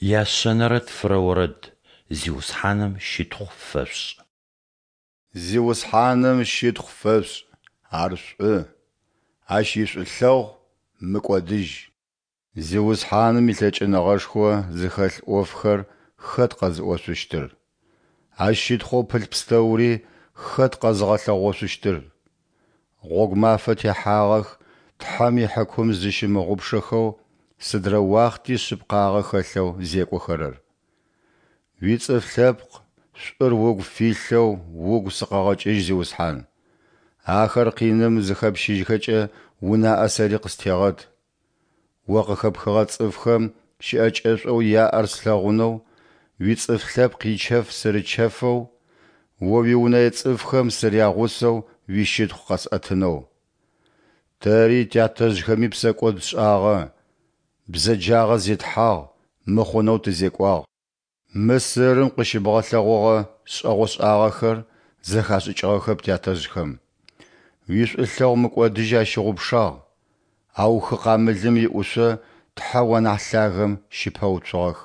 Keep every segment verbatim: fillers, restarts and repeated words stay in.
Яшъэнэрэ тфырэ орэд. Зиусхьаным щытхъу фэшъушӏ! Зиусхьаным щытхъу фэшъушӏ, Ар шӏу, Ащ ишӏулъэгъу мыкӏодыжь. Зиусхьаным илъэкӏыныгъэшхо зыхэлъ ӏофхэр хэт къэзыӏошъущтыр? Ащ щытхъоу пылъ пстэури хэт къэзыгъэлъэгъошъущтыр? Гъогу мафэ техьагъэх Тхьэм ихьыкум зыщымыгъупшэхэу, сыдрэ уахъти шъыпкъагъэ хэлъэу зекӏохэрэр. Уицӏыф лъэпкъ шӏур угу филъэу угу сыкъэгъэкӏыжь, Зиусхьан. Ахэр къиным зыхэпщыжьхэкӏэ унаӏэ сэри къыстегъэт. О къыхэпхыгъэ цӏыфхэм щыӏэкӏэшӏоу яӏэр слъэгъунэу, уицӏыф лъэпкъ ичэф сырычэфэу, О уиунэе цӏыфхэм сырягъусэу уищытхъу къэсӏэтынэу. Тэри тятэжъхэми псэкӏод тшӏагъэ, бзэджагъэ зетхьагъ, мыхъунэу тызекӏуагъ. Мысырым къыщыбгъэлъэгъогъэ шӏэгъошӏагъэхэр зэхашӏыкӏыгъэхэп тятэжъхэм. Уишӏулъэгъу мыкӏодыжь ащыгъупшагъ, ау хы Къамылым иӏушъо Тхьэу анахь Лъагэм щыпэуцугъэх.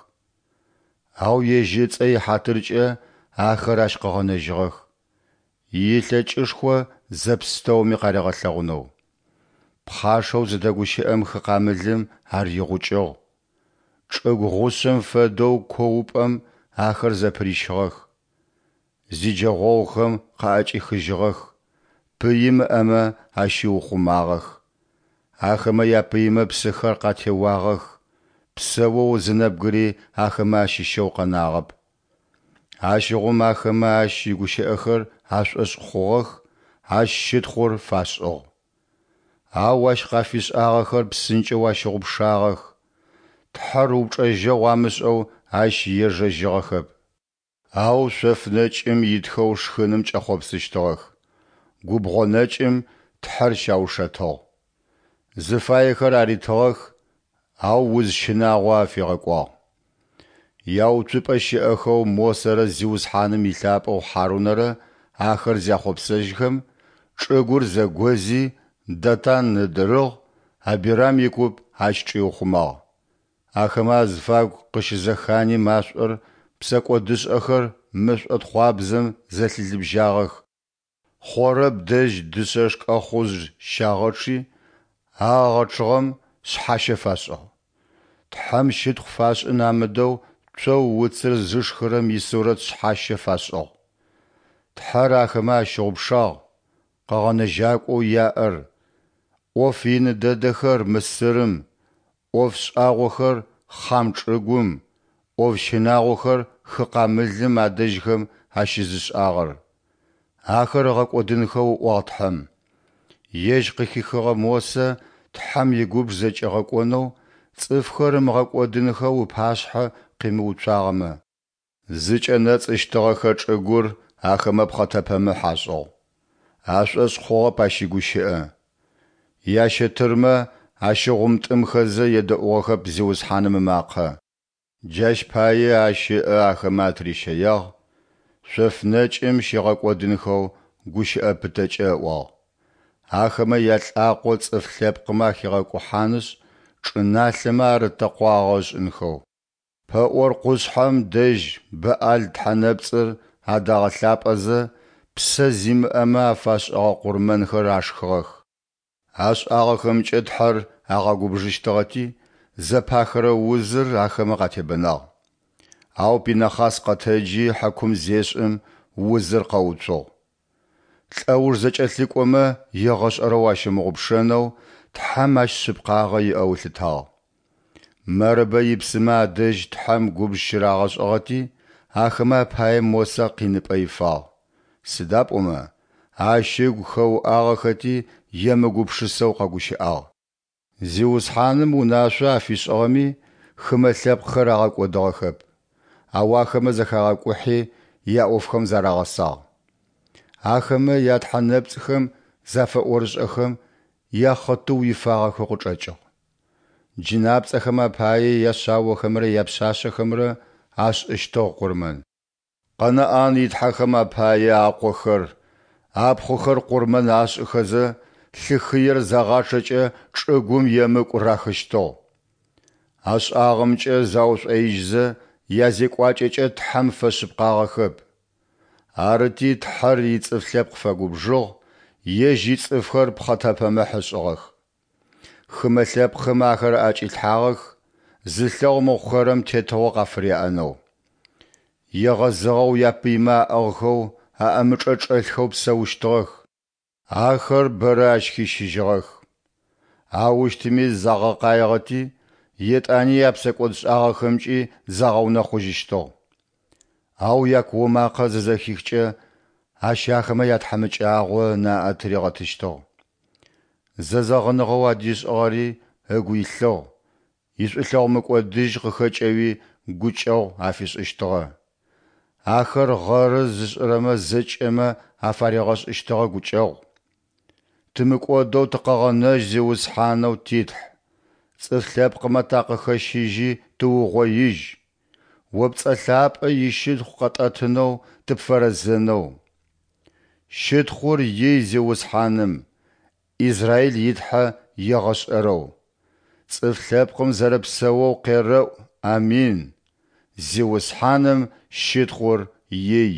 Ау Ежь ыцӏэ ихьатыркӏэ ахэр Ащ къыгъэнэжьыгъэх, илъэкӏышхо зэпстэуми къаригъэлъэгъунэу. Пхъашэу зыдэгущыӏэм хы Къамылым ар игъукӏыгъ. Чӏыгу гъушъэм фэдэу куупӏэм ахэр зэпырищыгъэх. Зиджэгъогъухэм къаӏэкӏихыжьыгъэх, пыим ыӏэмэ ащиухъумагъэх. Ахэмэ япыймэ псыхэр къатеуагъэх, псэоу зы нэбгыри ахэмэ ащыщэу къэнагъэп. Ащыгъум ахэмэ Ащ игущыӏэхэр ашӏошъ хъугъэх, Ащ щытхъур фашӏыгъ. Ау Ащ къафишӏагъэхэр псынкӏэу ащыгъупшагъэх, Тхьэр упчӏэжьэгъу амышӏэу Ащ ежэжьыгъэхэп. Ау шъоф нэкӏым итхэу шхыным кӏэхъопсыщтыгъэх, губгъо нэкӏым Тхьэр щаушэтыгъ. Зыфаехэр аритыгъэх, ау уз щынагъо афигъэкӏуагъ. Яуцупӏэ щыӏэхэу Мосэрэ Зиусхьаным илъапӏэу Хьарунэрэ ахэр зяхъопсэжьхэм, чӏыгур зэгози, Датан ыдырыгъ, Абирам икуп ащ чӏиухъумагъ. Ахэмэ азыфагу къыщызэхани машӏор, псэкӏодышӏэхэр мэшӏотхъуабзэм зэлъилыбжьагъэх. Хъорэб дэжь дышъэ шкӏэхъужъ щагъэчъи, а агъэчъыгъэм шъхьащэ фашӏыгъ. Тхьэм щытхъу фашӏын амыдэу цоу уцыр зышхырэм исурэт шъхьащэ фашӏыгъ. Тхьэр ахэмэ ащыгъупшагъ, Къэгъэнэжьакӏоу яӏэр, ӏоф ин дэдэхэр Мысырым, ӏоф шӏагъохэр Хъам чӏыгум, ӏоф щынагъохэр хы Къамылым адэжьхэм ащызышӏагъэр. Ахэр ыгъэкӏодынхэу ыӏуагъ Тхьэм. Ежь къыхихыгъэ Мосэ Тхьэм игубж зэкӏигъэкӏонэу, цӏыфхэр ымыгъэкӏодынхэу ыпашъхьэ къимыуцуагъэмэ. Зыкӏэнэцӏыщтыгъэхэ чӏыгур ахэмэ пхъэтэпэмыхь ашӏыгъ, ашӏошъ хъугъэп Ащ игущыӏэ. Ящэтырмэ ащыгъумтӏымхэзэ едэӏугъэхэп Зиусхьаным ымакъэ. Джащ пае Ащ ыӏэ ахэмэ атырищэягъ, шъоф нэкӏым щигъэкӏодынхэу гущыӏэ пытэкӏэ ыӏуагъ, ахэмэ ялӏакъо цӏыф лъэпкъмэ ахигъэкӏухьанышъ, чӏыналъэмэ арытэкъуагъэ ышӏынхэу. Пэӏор къушъхьэм дэжь Бэӏал тхьэнэпцӏыр адагъэлъапӏэзэ, псэ зимыӏэмэ афашӏыгъэ къурмэнхэр ашхыгъэх. Ашӏагъэхэмкӏэ Тхьэр агъэгубжыщтыгъэти, зэпахырэ узыр ахэмэ къатебэнагъ. Ау Пинэхъас къэтэджи хьакум зешӏым, узыр къэуцугъ. Лӏэуж зэкӏэлъыкӏомэ егъэшӏэрэу ащымыгъупшэнэу Тхьэм ащ шъыпкъагъэ иӏэу ылъытагъ. Мэрыбэ ипсымэ адэжь Тхьэм губж щырагъэшӏыгъэти, ахэмэ апае Мосэ къиныпӏэ ифагъ, сыда пӏомэ ащ ыгу хэуӏагъэхэти емыгупшысэу къэгущыӏагъ. Зиусхьаным унашъо афишӏыгъэми, хымэ лъэпкъхэр агъэкӏодыгъэхэп, ау ахэмэ зэхагъэкӏухьи, яӏофхэм зарагъэсагъ. Ахэмэ ятхьэ нэпцӏхэм зафэӏорышӏэхэм, яхъытыу ифагъэхэу къычӏэкӏыгъ. Джынапцӏэхэм апае яшъаохэмрэ япшъашъэхэмрэ ашӏыщтыгъ къурмэн. Къэнаӏан итхьэхэм апае акъохэр, апхъухэр къурмэн ашӏыхэзэ, лъы хыер загъачъэкӏэ чӏыгум емыкӏу рахыщтыгъ. Ашӏагъэмкӏэ заушӏоижьзэ, язекӏуакӏэкӏэ Тхьэм фэшъыпкъагъэхэп. Арыти, Тхьэр ицӏыф лъэпкъ фэгубжыгъ, Ежь ицӏыфхэр пхъэтэпэмыхь ышӏыгъэх. Хымэ лъэпкъхэм ахэр аӏэкӏилъхьагъэх, зылъэгъу мыхъухэрэм тетыгъо къафыряӏэнэу. Егъэзыгъэу япыймэ аӏыгъхэу, аӏэмычӏэ чӏэлъхэу псэущтыгъэх. Ахэр бэрэ Ащ хищыжьыгъэх. Аущтыми загъэкъаигъэти, етӏани япсэкӏодшӏагъэхэмкӏи загъэунэхъужьыщтыгъ. Ау якуо макъэ зызэхихкӏэ, Ащ ахэмэ ятхьамыкӏагъо ынаӏэ тыригъэтыщтыгъ. Зэзэгъыныгъэу адишӏыгъэри ыгу илъыгъ, ишӏулъэгъу мыкӏодыжь къыхэкӏэуи гукӏэгъу афишӏыщтыгъэ. Ахэр гъэры зышӏырэмэ зэкӏэмэ афаригъэшӏыщтыгъэ гукӏэгъу. Тымыкӏодэу тыкъэгъэнэжь, Зиусхьанэу ти Тхь! Цӏыф лъэпкъмэ такъыхэщыжьи тыугъоижь, О пцӏэ лъапӏэ ищытхъу къэтӏэтынэу тыпфэрэзэнэу. Щытхъур ий Зиусхьаным, Израиль и Тхьэ егъэшӏэрэу. Цӏыф лъэпкъым зэрэпсэоу къерэӏу Амин! Зиусхьаным щытхъур ий!